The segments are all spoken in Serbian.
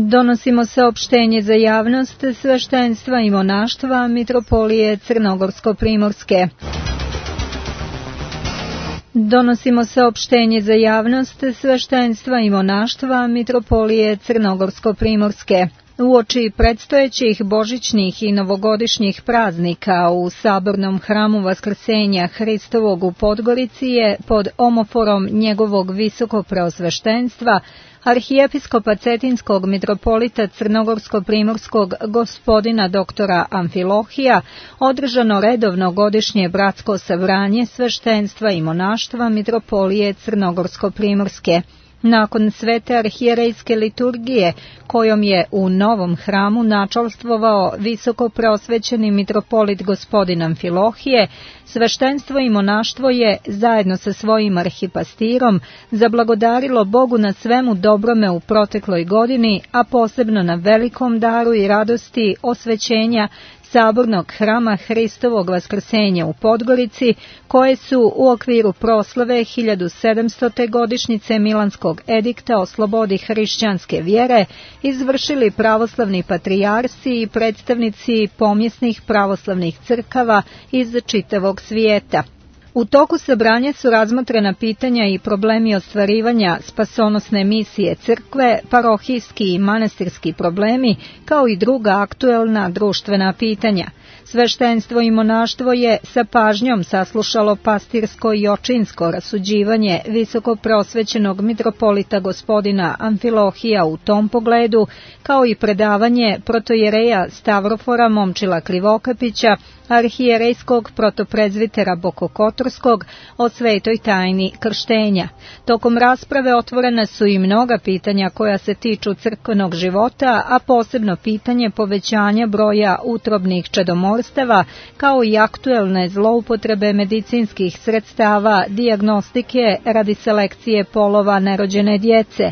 Donosimo saopštenje za javnost sveštenstva i monaštva Mitropolije Crnogorsko-Primorske. Donosimo saopštenje za javnost sveštenstva i monaštva Mitropolije Crnogorsko-Primorske. Uoči predstojećih božićnih i novogodišnjih praznika u Sabornom hramu Vaskrsenja Hristovog u Podgorici je pod omoforom njegovog visokopreosveštenstva arhijepiskopa Cetinskog mitropolita Crnogorsko-Primorskog gospodina doktora Amfilohija održano redovno godišnje bratsko sabranje sveštenstva i monaštva Mitropolije Crnogorsko-Primorske. Nakon svete arhijerejske liturgije, kojom je u novom hramu načalstvovao visoko preosvećeni mitropolit gospodin Amfilohije, sveštenstvo i monaštvo je, zajedno sa svojim arhipastirom, zablagodarilo Bogu na svemu dobrome u protekloj godini, a posebno na velikom daru i radosti osvećenja Sabornog hrama Hristovog Vaskrsenja u Podgorici, koje su u okviru proslave 1700. godišnjice Milanskog edikta o slobodi hrišćanske vjere izvršili pravoslavni patrijarsi i predstavnici pomjesnih pravoslavnih crkava iz čitavog svijeta. U toku sabranja su razmotrena pitanja i problemi ostvarivanja spasonosne misije crkve, parohijski i manastirski problemi, kao i druga aktuelna društvena pitanja. Sveštenstvo i monaštvo je sa pažnjom saslušalo pastirsko i očinsko rasuđivanje visoko preosvećenog mitropolita gospodina Amfilohija u tom pogledu, kao i predavanje protojereja Stavrofora Momčila Krivokapića, arhijerejskog protoprezvitera Bokokotorskog o svetoj tajni krštenja. Tokom rasprave otvorena su i mnoga pitanja koja se tiču crkvenog života, a posebno pitanje povećanja broja utrobnih čedomorstava, kao i aktuelne zloupotrebe medicinskih sredstava, dijagnostike radi selekcije polova nerođene djece.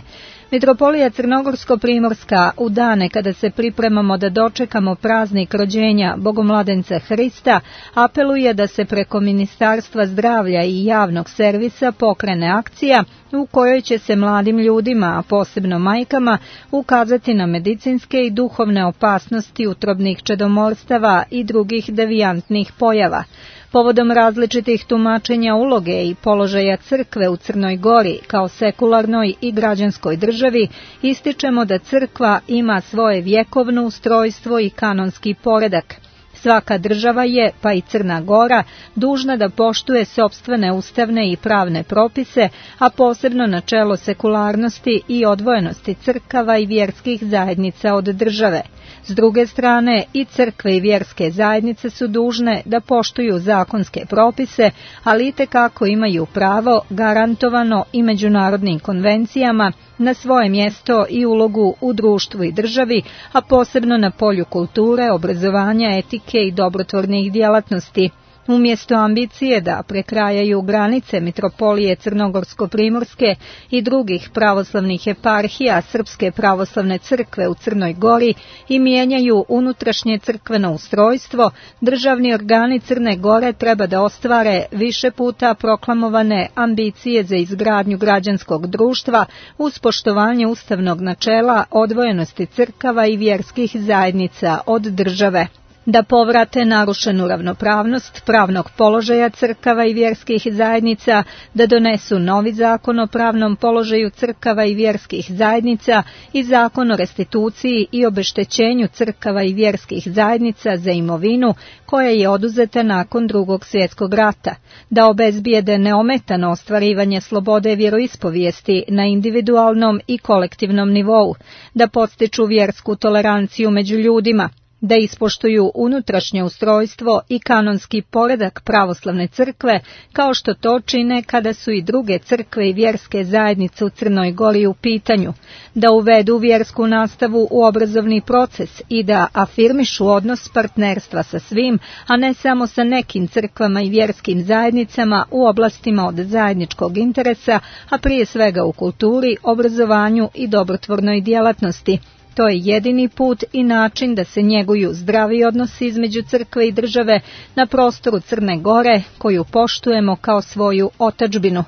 Mitropolija Crnogorsko-Primorska u dane kada se pripremamo da dočekamo praznik rođenja Bogomladenca Hrista apeluje da se preko Ministarstva zdravlja i javnog servisa pokrene akcija u kojoj će se mladim ljudima, a posebno majkama, ukazati na medicinske i duhovne opasnosti utrobnih čedomorstava i drugih devijantnih pojava. Povodom različitih tumačenja uloge i položaja crkve u Crnoj Gori kao sekularnoj i građanskoj državi, ističemo da crkva ima svoje vjekovno ustrojstvo i kanonski poredak. Svaka država je, pa i Crna Gora, dužna da poštuje sopstvene ustavne i pravne propise, a posebno načelo sekularnosti i odvojenosti crkava i vjerskih zajednica od države. S druge strane, i crkve i vjerske zajednice su dužne da poštuju zakonske propise, ali itekako imaju pravo, garantovano i međunarodnim konvencijama, na svoje mjesto i ulogu u društvu i državi, a posebno na polju kulture, obrazovanja, etike i dobrotvornih djelatnosti. Umjesto ambicije da prekrajaju granice Mitropolije Crnogorsko-Primorske i drugih pravoslavnih eparhija Srpske pravoslavne crkve u Crnoj Gori i mijenjaju unutrašnje crkveno ustrojstvo, državni organi Crne Gore treba da ostvare više puta proklamovane ambicije za izgradnju građanskog društva uz poštovanje ustavnog načela odvojenosti crkava i vjerskih zajednica od države. Da povrate narušenu ravnopravnost pravnog položaja crkava i vjerskih zajednica, da donesu novi zakon o pravnom položaju crkava i vjerskih zajednica i zakon o restituciji i obeštećenju crkava i vjerskih zajednica za imovinu koja je oduzeta nakon Drugog svjetskog rata, da obezbijede neometano ostvarivanje slobode vjeroispovijesti na individualnom i kolektivnom nivou, da podstiču vjersku toleranciju među ljudima, da ispoštuju unutrašnje ustrojstvo i kanonski poredak pravoslavne crkve, kao što to čine kada su i druge crkve i vjerske zajednice u Crnoj Gori u pitanju, da uvedu vjersku nastavu u obrazovni proces i da afirmišu odnos partnerstva sa svim, a ne samo sa nekim crkvama i vjerskim zajednicama u oblastima od zajedničkog interesa, a prije svega u kulturi, obrazovanju i dobrotvornoj djelatnosti. To je jedini put i način da se njeguju zdravi odnosi između crkve i države na prostoru Crne Gore, koju poštujemo kao svoju otadžbinu.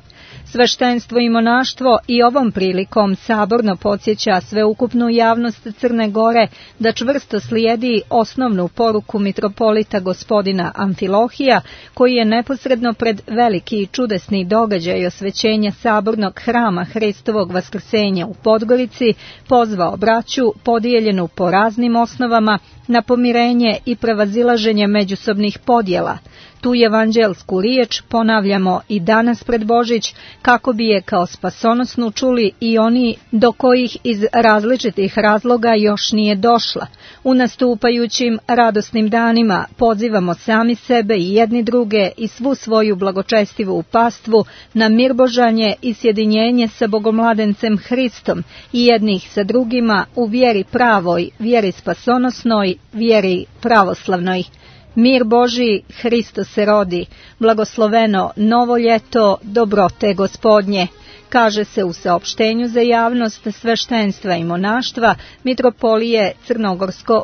Sveštenstvo i monaštvo i ovom prilikom saborno podsjeća sveukupnu javnost Crne Gore da čvrsto slijedi osnovnu poruku mitropolita gospodina Amfilohija, koji je neposredno pred veliki i čudesni događaj osvećenja sabornog hrama Hristovog vaskrsenja u Podgorici pozvao braću podijeljenu po raznim osnovama na pomirenje i prevazilaženje međusobnih podjela. Tu evanđelsku riječ ponavljamo i danas pred Božić, kako bi je kao spasonosnu čuli i oni do kojih iz različitih razloga još nije došla. U nastupajućim radosnim danima pozivamo sami sebe i jedni druge i svu svoju blagočestivu pastvu na mirbožanje i sjedinjenje sa Bogomladencem Hristom i jednih sa drugima u vjeri pravoj, vjeri spasonosnoj, vjeri pravoslavnoj. Mir Božji, Hristo se rodi, blagosloveno novo ljeto, dobrote Gospodnje, kaže se u saopštenju za javnost sveštenstva i monaštva mitropolije Crnogorsko